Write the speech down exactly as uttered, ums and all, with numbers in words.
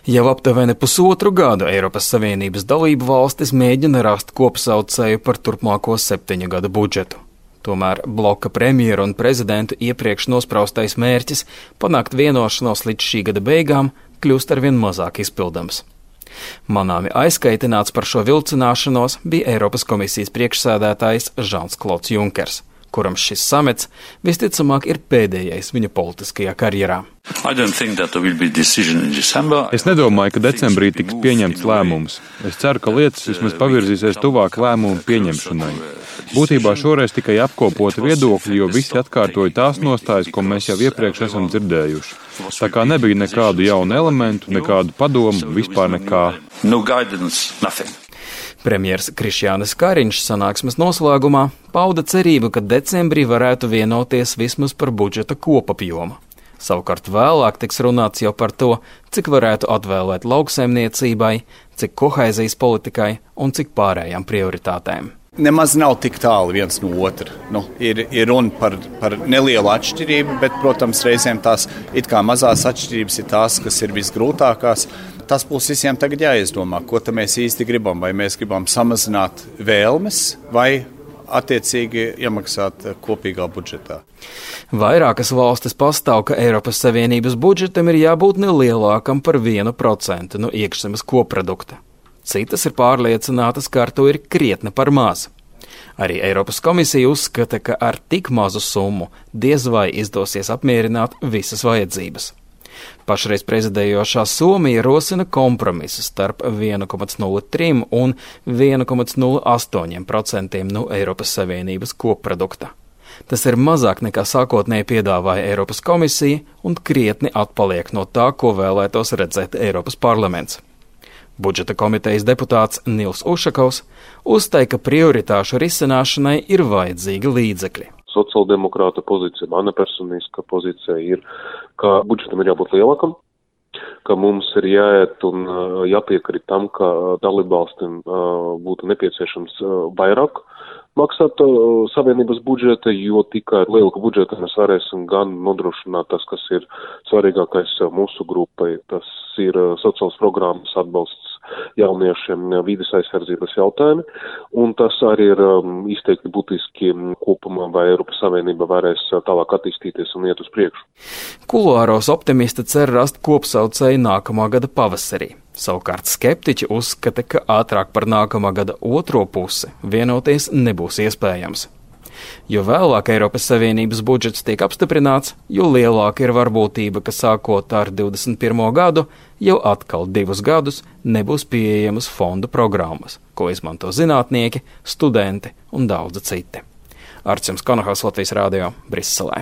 Jau aptuveni pusotru gadu Eiropas Savienības dalību valstis mēģina rast kopsaucēju par turpmāko septiņu gadu budžetu. Tomēr bloka premjeru un prezidentu iepriekš nospraustais mērķis panākt vienošanos līdz šī gada beigām kļūst arvien mazāk izpildams. Manāmi aizkaitināts par šo vilcināšanos bija Eiropas komisijas priekšsēdētājs Žans-Klods Junkers, kuram šis samets visticamāk ir pēdējais viņa politiskajā karjerā. Es nedomāju, ka decembrī tiks pieņemts lēmums. Es ceru, ka lietas vismaz pavirzīsies tuvāk lēmumu pieņemšanai. Būtībā šoreiz tikai apkopoti viedokļi, jo visi atkārtoja tās nostājas, ko mēs jau iepriekš esam dzirdējuši. Tā kā nebija nekādu jaunu elementu, nekādu padomu, vispār nekā. No guidance, nothing. Premjers Krišjānis Kariņš sanāksmes noslēgumā pauda cerību, ka decembrī varētu vienoties vismaz par budžeta kopapjomu. Savukārt vēlāk tiks runāts jau par to, cik varētu atvēlēt lauksaimniecībai, cik kohēzijas politikai un cik pārējām prioritātēm. Nemaz nav tik tālu viens no otra. Nu, ir, ir runa par, par nelielu atšķirību, bet, protams, reizēm tās it kā mazās atšķirības ir tās, kas ir visgrūtākās. Tas būs visiem tagad jāizdomā, ko tad mēs īsti gribam. Vai mēs gribam samazināt vēlmes vai attiecīgi iemaksāt kopīgā budžetā. Vairākas valstis pastāv, ka Eiropas Savienības budžetam ir jābūt nelielākam par vienu procentu no iekšzemes koprodukta. Citas ir pārliecinātas, ka ar to ir krietni par maz. Arī Eiropas komisija uzskata, ka ar tik mazu summu diez vai izdosies apmierināt visas vajadzības. Pašreiz prezidējošā Somija rosina kompromisu starp viens komats nulle trīs un viens komats nulle astoņi procenti no Eiropas Savienības kopprodukta. Tas ir mazāk nekā sākotnēji piedāvāja Eiropas komisija un krietni atpaliek no tā, ko vēlētos redzēt Eiropas parlaments. Budžeta komitejas deputāts Nils Ušakovs uzstāja, ka prioritāšu risināšanai ir vajadzīgi līdzekļi. Sociāldemokrāta pozīcija, mana personiska pozīcija ir, ka budžetam ir jābūt lielākam, ka mums ir jāiet un jāpiekrīt tam, ka dalībvalstīm būtu nepieciešams vairāk maksāt savienības budžeta, jo tikai ar lielu budžetu mēs varēsim gan nodrošināt tas, kas ir svarīgākais mūsu grupai. Tas ir sociāls programmas atbalsts jauniešiem, vides aizsardzības jautājumi, un tas arī ir um, izteikti būtiski kopumā, vai Eiropas Savienība varēs tālāk attīstīties un iet uz priekšu. Kuluāros optimisti cer rast kopsaucēju nākamā gada pavasarī. Savukārt skeptiķi uzskata, ka ātrāk par nākamā gada otro pusi vienoties nebūs iespējams. Jo vēlāk Eiropas Savienības budžets tiek apstiprināts, jo lielāka ir varbūtība, ka sākot ar divdesmit pirmo gadu, jau atkal divus gadus nebūs pieejamas fondu programmas, ko izmanto zinātnieki, studenti un daudzi citi. Arčuns Konohaus, Latvijas Rādio, Briselē.